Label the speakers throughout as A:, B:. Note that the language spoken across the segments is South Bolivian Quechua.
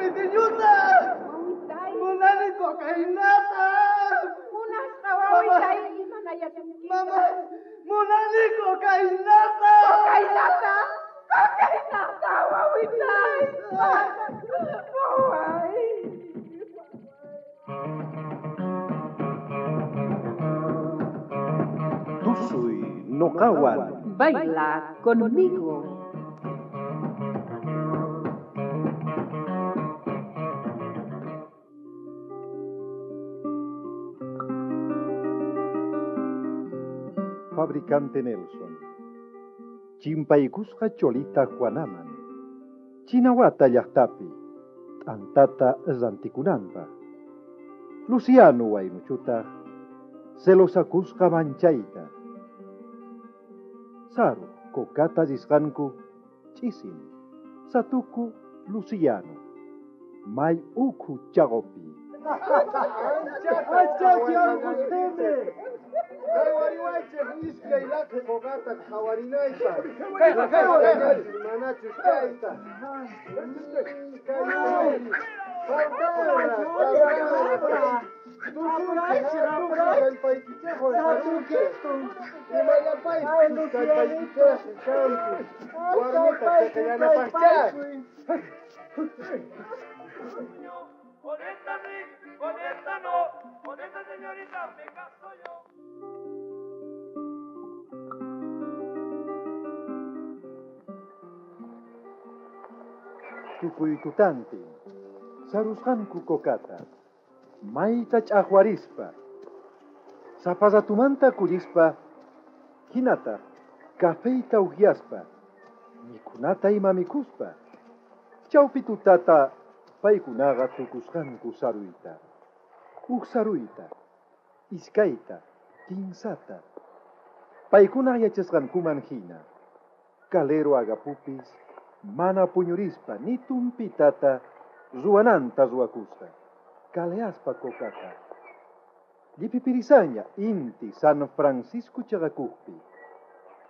A: pitiñuta! Munani cocainata!
B: Munasqa wawitay imanayasunki.
A: Mama, munani cocainata!
B: Cocainata! Cocainata, wawitay! Waway!
C: Tusuy noqawan.
D: Baila conmigo.
C: Fabricante Nelson. Chimpaykusqa cholita Juanaman. Chinawata llaqtapi. T'antata rantikunanpaq. Luciano waynuchutaq celosakusqa manchayta. Saru kokata risqanku ch'isin. Satuku Luciano. May ukhu chaqopi.
A: Qhawariwaychej iskay laqhi qokata qhawarinaypaq. Manachus kayta.
E: Con esta sí, con esta no, con esta señorita me caso yo.
C: Tukuy tutantin. Sarusqanku kokata. Mayta ch'aqwarispa. Saparatumanta kullispa. Hinataq cafeyta uhyaspa. Mikhunata ima mikhuspa. Chawpi tutata paykunaqa tukusqanku saruyta. Huk saruyta, iskayta, kinsata. Paykunaq yachasqankuman hina. Calero agapupis mana puñurispa ni tumpitata ruwananta ruwakusqa. Kaleaspa kokata. Llipipirisaña inti San Francisco chaqakuqpi.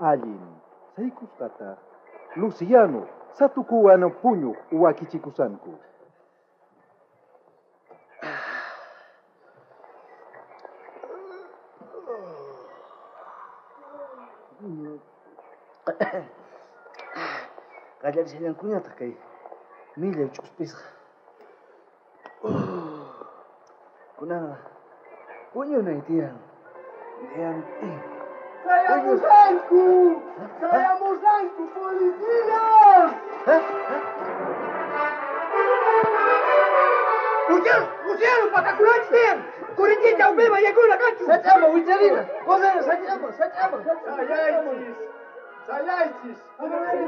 C: Allin saykusqataq Luciano satukuwan puñuq wakichikusanku.
F: Qallarishallankuñataq kay millay ch'uspisqa. Kunanqa puñunay tiyan. Diantin.
A: ¡Chayamusanku! ¡Chayamusanku, policía!
G: ¡Luciano! ¡Luciano! ¡Pakakunanchis tiyan! ¡Kurichita upima yaykuna kanchu!
F: Sach'ama wicharina! Qosana sach'ama, sach'ama!
A: ¡Sayaychis! ¡Sayaychis!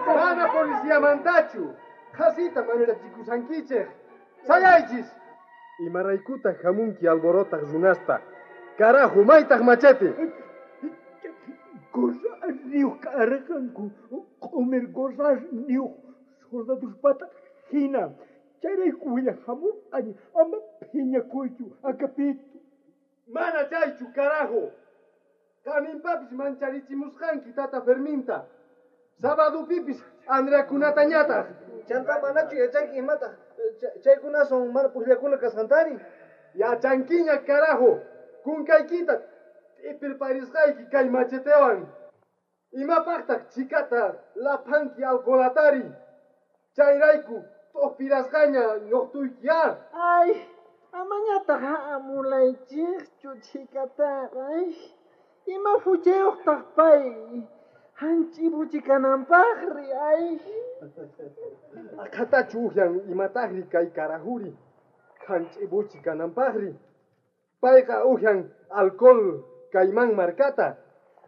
A: ¡Mana policiamantachu! Qhasita manchachikusankichej! ¡Sayaychis! Imaraykutaq hamunki alborotaq runasta. ¡Carajo, maytaq machete!
G: Gorrasniyuq karqanku, q'umir gorrasniyuq soldaduspata hina. Chayrayku willajamurqani ama phiñakuychu, Agapito.
A: Mana chaychu, carajo! Qaninpapis mancharichimusqanki tata Ferminta. Sabadupipis Andreakunatañataq.
F: Chanta manachu yachanki imataq chaykunason mana pukllakuna kasqantari.
A: Yachankiña, carajo! Kunkaykita t'ipirparisqayki kay machetewan. Imapaqtaq chikata laphanki alcoholatari. Chayrayku t'uqpirasqaña ñuqtuyki ar.
G: Ay, amañataq amulaychikchu chikataqa. Ay, ima huchayuqtaq pay. Hanch'ibuchi kananpaqri, ay.
A: Aqhatachu uhyan imataqri kay karajuri. Hanch'ibuchi kananpaqri. Payqa uhyan alcohol kayman markata.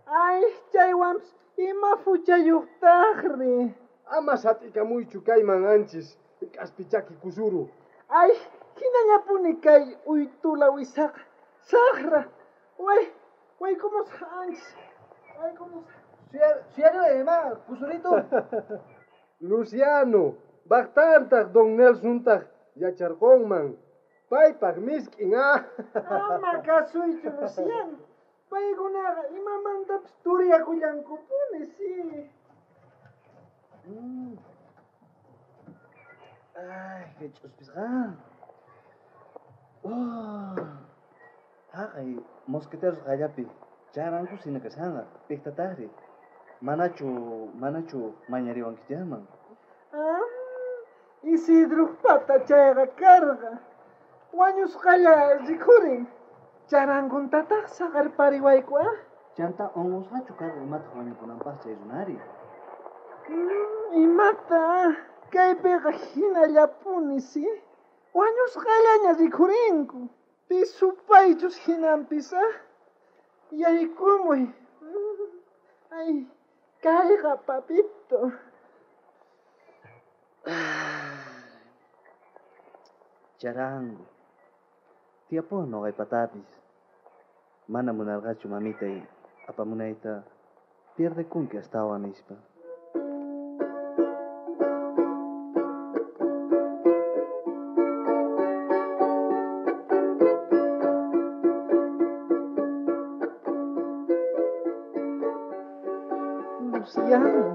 G: Ay, chaywanpis ima huchayuqtaqri.
A: Ama sat'ikamuychu kayman anchis k'aspichaki kusuru.
G: Ay, hinañapuni kay uytula wisaqa. Saqra. Way, waykumusqa anchis. Waykumusqa.
F: Suyariway ima, kusurito.
A: Luciano, baqtantaq don Nelsontaq yacharqunman. Paypaq misk'in, ah.
G: Ama kasuychu, Luciano. Paykunaqa imamantapis turiyakullankupuni, sí.
F: Ay, kay ch'uspisqa. Oh. Haqay mosqueteros qallapi charanku sina kashanqa piqtataqri. Manachu mañariwankichikman?
G: Ah, Isidropata chayqa karqa. Wañusqalla rikhurin. Charankuntataq saqerpariwayku, ah?
F: Chanta unqusqachu karqa imataq wañukunanpaq chay runari?
G: Imata? Kaypiqa hinallapuni, si? Wañusqallaña rikhurinku. Pi supaychus hinanpis, ah? Yaykumuy. Ay, kayqa papito.
F: Charango. Tiyapuwan noqaypatapis. Mana munarqachu mamitay apamunayta pierdekunki astawan nispa.
G: Luciano.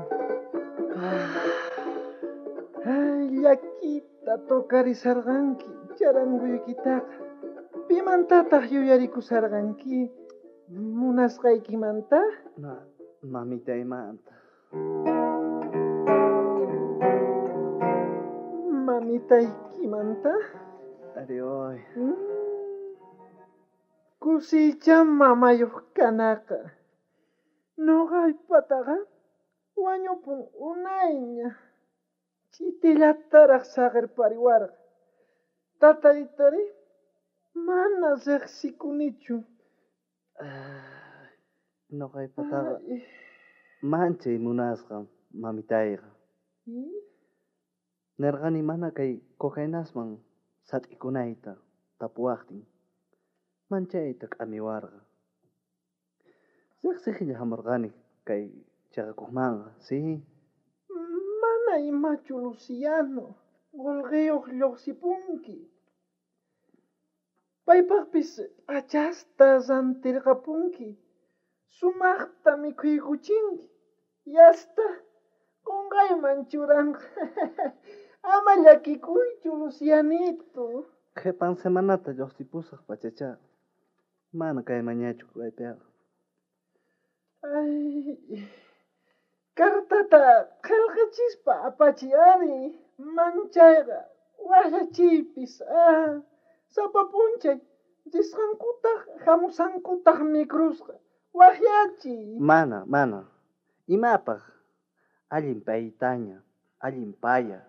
G: Ay, llakita tocarisarqanki charanguykitaqa. Pimantataq yuyarikusarqanki? Munasqaykimanta?
F: Mamitaymanta.
G: Mamitaykimanta?
F: Ari, oy.
G: Kusiycha mamayuq kanaqa. Noqaypataqa wañupun unayña. Ch'itillataraq saqerpariwarqa. Tataytari mana riqsikunichu.
F: Noqaypataqa manchay munasqa mamitayqa. Nerqani mana kay cocainasman sat'ikunayta tapuwaqtin. Manchayta k'amiwarqa. Riqsiqlla hamurqani kay chaqakuqmanqa, si?
G: Mana imachu, Luciano. Qolqeyuq lluqsipunki. Paypaqpis p'achasta rantirqapunki. Sumaqta mikhuykuchinki. Yasta qonqayman churanqa. Ama llakikuychu, Lucianito.
F: Qhipan semanata lluqsipusaq pachacha. Mana kaymanñachu kaypiqa.
G: Ay, cartata qillqachispa apachiy ari. Manchayqa waqyachiypis. Ah, sapa p'unchay risqankutaq hamusankutaq mikrusqa. Waqyachiy.
F: Mana. Imapaq? Allin paytaña, allin paya.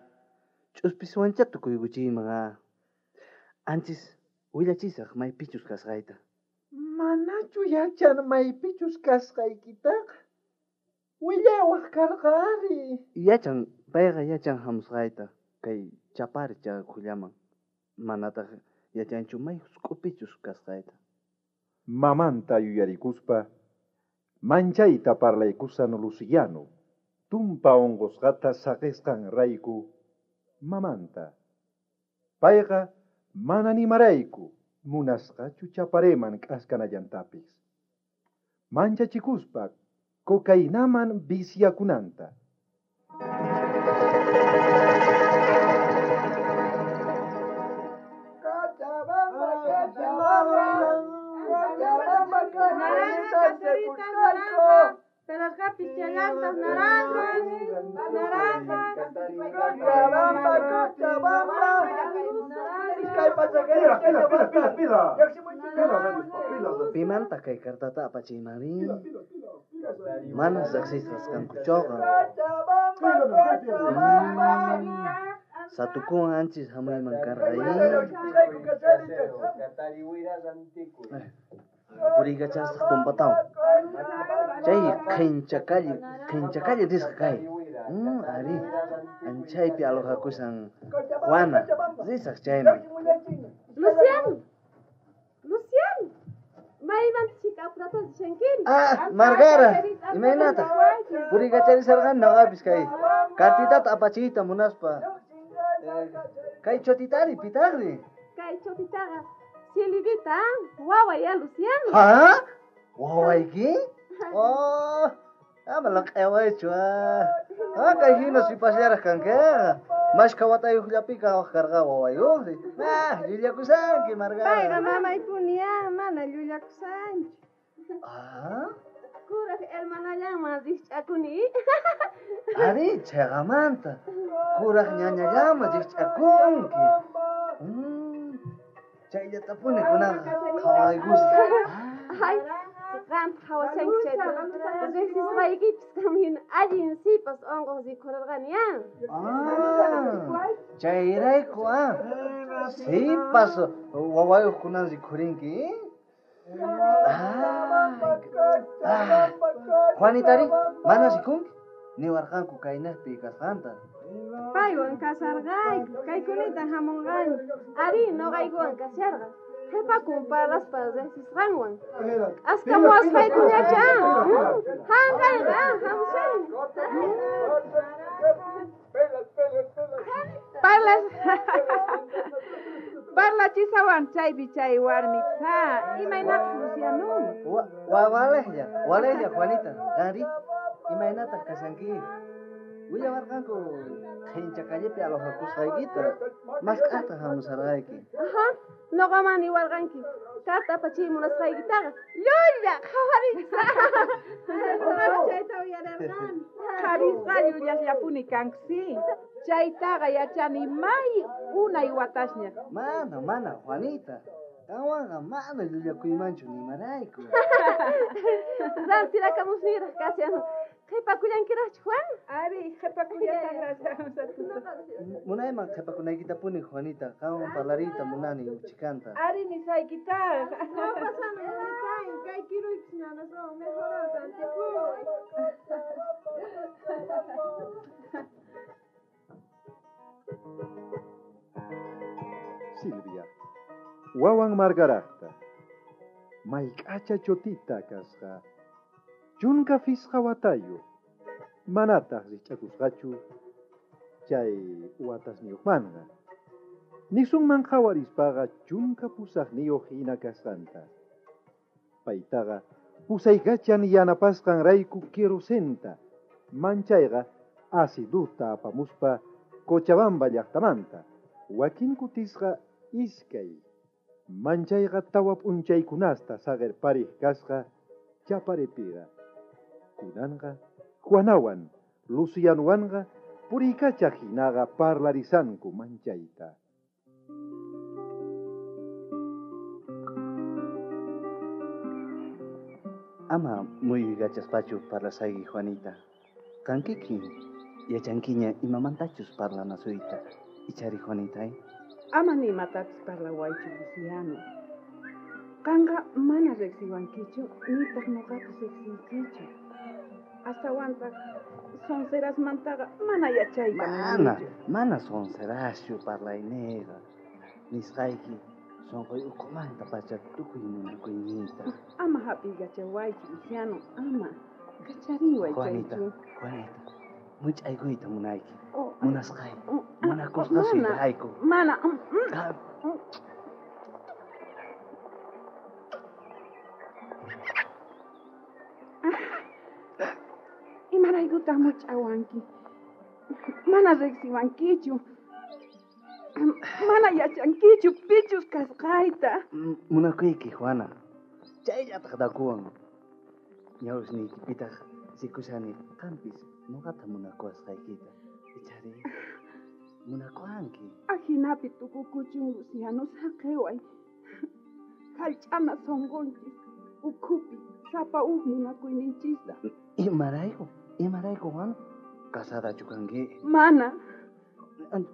F: Ch'uspiswancha tukuykuchiyman, ah. Anchis willachisaq maypichus kasqayta.
G: Manachu yachan maypichus kasqaykitaqa? Willawaq karqa ari.
F: Yachan, payqa yachan hamusqayta kay Chapari chaqakullaman. Manataq yachanchu may husk'upichus kasqayta.
C: Mamanta yuyarikuspa, manchayta parlaykusan Luciano, tumpa unqusqata saqisqan rayku mamanta. Payqa mana nimarayku munasqachu Chapareman k'askanallantapis. Manchachikuspa cocainaman viciakunanta.
B: Naranja, pelasqapis chayantas, naranjas, naranjas.
G: Cochabamba,
C: Pila.
F: Pimanta kay cartata apachiymari. Mana riqsisqas kankuchoqa. Satukuwan anchis hamuyman karqa. Puriykachasaq tumpatawan. Chay qhinchakalli risqa kay. Ari, anchaypi alojakusan Juana, risaq chayman.
B: Luciano, maymanta chika apurata rishankiri?
F: Ah, Margara, imaynataq? Puriykacharisarqani noqapis kay kartitata apachiyta munaspa. Kay chotitari pitaqri?
B: Kay chotitaqa Silvita, waway ya Luciano.
F: Ha? Wawayki? Oh, ama laq'awaychu, ah. Ah, kay hina sipasllaraq kankiqa. Mashkha watayuqllapi kawaq karqa wawayuqri. Ah, llullakusanki, Margara.
B: Payqa mamaypuni ah, mana llullakusanchu.
F: Ah,
B: Kuraj hermanallanman rikch'akuni.
F: Ari, chayqamanta. Kuraj ñañallaman rikch'akunki. Chayllatapuni kunanqa qhawaykusqa.
B: Ay, qamta qhawashanki chayta. Riqsisqaykipis qam hina allin sipas unquq rikhurarqani ah.
F: Ah, chayrayku ah. Sipas wawayuq kunan rikhurinki. Ah, Juanitari, mana rikunki? Niwarqanku kaynaqpi kasqanta.
B: Paywan kasarqayku, kaykunita hamunqani. Ari, noqaykuwan kasharqa. Qhipakun parlaspa riqsisqanwan. K'askamuwasqaykuñacha. Hanqayqa, hamusani.
D: Parlas. Parlachisawan chaypi chay warmi. Ha, imaynataq Luciano?
F: Walejlla, walejlla Juanita. Qanri, imaynataq kashanki? Willawarqanku qhincha callepi alojakusqaykita. Mask'ata hamusarqayki.
B: Ajá, noqaman niwarqanki. Carta apachiy munasqaykitaqa. Llulla, qhawarinchis. Chayta uyararqani.
D: Qharisqa llullashllapuni kanku, sí. Chaytaqa yachani may unay watasña.
F: Mana, mana, Juanita. Qanwanqa mana llullakuymanchu nimarayku.
B: Rantirakamusniraq kashan. Qhipakullankiraqchu, Juan?
D: Ari, qhipakullasaqraq.
F: Munayman qhipakunaykitapuni, Juanita. Qanwan parlariyta munani uchikanta.
D: Ari, nisaykitaq.
B: No pasame, Juanita. Kay kiruypis nanaswan mejorar rantikuy.
C: Silvia, wawan Margarajta, mayk'acha chotita kasqa, chunka fisqa watayu, manataq rikch'akusqachu chay watasniyuqmanqa. Nisunman qhawarispaqa chunka pusaqniyuq hina kasqanta. Paytaqa pusaykachan yanapasqanrayku querosenta, manchayqa aciduta apamuspa Cochabamba llaqtamanta, wakin kutisqa iskay, manchayqa tawa p'unchaykunasta saqirpariq kasqa Chaparepiqa. Kunanqa Juanawan, Lucianowanqa puriykachaq hinaqa parlarisanku manchayta.
F: Ama muyuykachaspachu parlasayki, Juanita. Qankikin yachankiña imamantachus parlanasuyta. Ichari, Juanita, eh?
D: Ama ni imatapis parlawaychu, Luciano. Qanqa mana riqsiwankichu, nitaq noqapis riqsiykichu. Astawantaq sonserasmantaqa mana yachayta
F: Mana,
D: munanichu.
F: mana sonseraschu parlayniqa. Nisqayki sonqoy ukhumanta pacha tukuy munakuyniyta.
D: Ama hap'iykachawaychu, Luciano, ama. Kachariway
F: Juanita,
D: chaychu.
F: Juanita, much'aykuyta munayki.
D: Oh,
F: Munasqay,
D: oh,
F: munakusqa
D: mana,
F: suyrayku.
D: Mana.
F: Ah.
D: Imaraykutaq much'awanki? Mana riqsiwankichu. Mana yachankichu pichus kasqayta.
F: Munakuyki, Juana. Chayllataq dakuwan. Ñawsniykipitaq rikushani qampis noqata munakuwasqaykita. Ichari, munakuwanki.
D: Ajinapi tukukuchun, Luciano, saqeway. Jallch'ana sonqonchis ukhupi sapa uj munakuyninchista.
F: Imarayku, imarayku, Juana? Casadachu kanki?
D: Mana.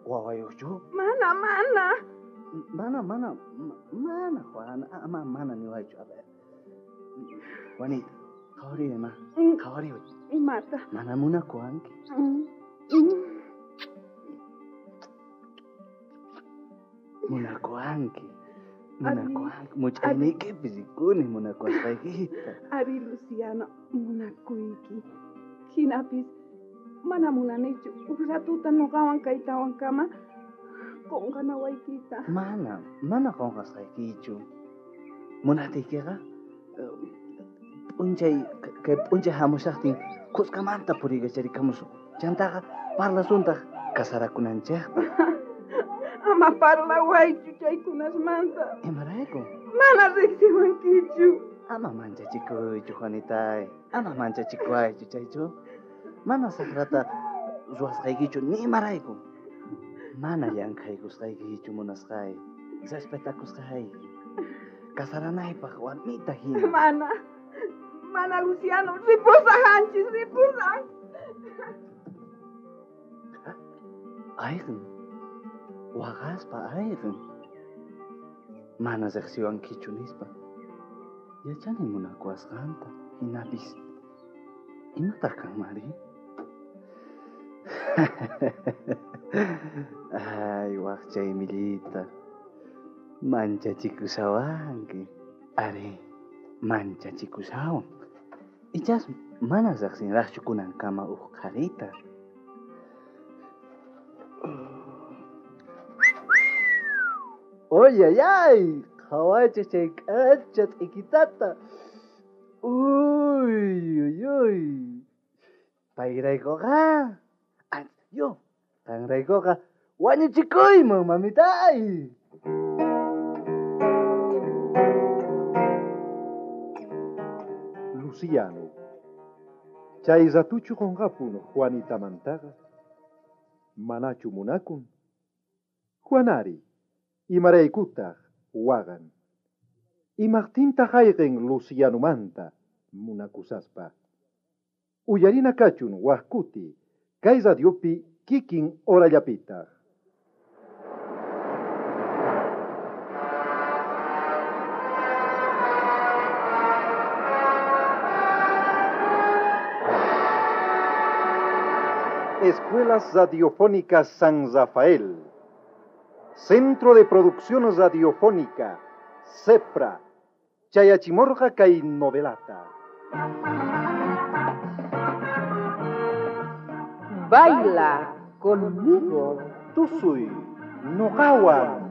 F: Wawayuqchu?
D: Mana, mana.
F: Mana, mana, mana, Juana. Ama, mana niwaychu. A ver. Juanita, qhawariway, ma. Qhawariway.
D: Imata?
F: Mana munakuwanki. Munakuwanki. Munakuwanki. Much'ayniykipi rikuni munakuwasqaykita.
D: Ari, Luciano, munakuyki. Hinapis mana munanichu uj ratuta noqawan kaytawankama qonqanawaykita.
F: Mana, mana qonqasqaykichu. Munatiykiqa, p'unchay, kay p'unchay hamushaqtin kuskamanta puriykacharikamusun. Chantaqa parlasuntaq Casarakunanchejpaj.
D: Ama parlawaychu chaykunasmanta.
F: Imarayku?
D: Mana riqsiwankichu.
F: Ama manchachikuychu, Juanitay. Ama manchachikuaychu, chaychu. Mana saqrata ruwasqaykichu ni imarayku. Mana llankhaykusqaykichu munasqay. Respetakusqayki. Casaranaypaj warmita hina.
D: Mana. Mana, Luciano. Ripusaj, anchis, ripusaj.
F: Ayqin. Waqaspa ayqin. Mana riqsiwankichu nispa. Yachani munakuwasqanta. Hinapis imataq kanmari? Ay, waqcha imillita. Manchachikushawanki. Ari, manchachikushawan. Ichas mana riqsinraqchu kunankama uj qharita. Oyayay, qhawaychis chay k'acha t'ikitata. Uy, uy, uy. Payraykuqa, yo, qanraykuqa wañuchikuyman, mamitay.
C: Luciano. Chay ratuchu qunqapun Juanitamantaqa. Manachu munakun. Juanari, imaraykutaq waqan. Imaqtintaq ayqin Lucianomanta munakusaspa. Uyarina kachun waj kuti, kay radiopi kikin horallapitaq. Escuelas Radiofónicas San Rafael. Centro de Producción Radiofónica, CEPRA, Chayachimorja kay novelata.
D: Baila conmigo.
C: Tusuy, noqawan.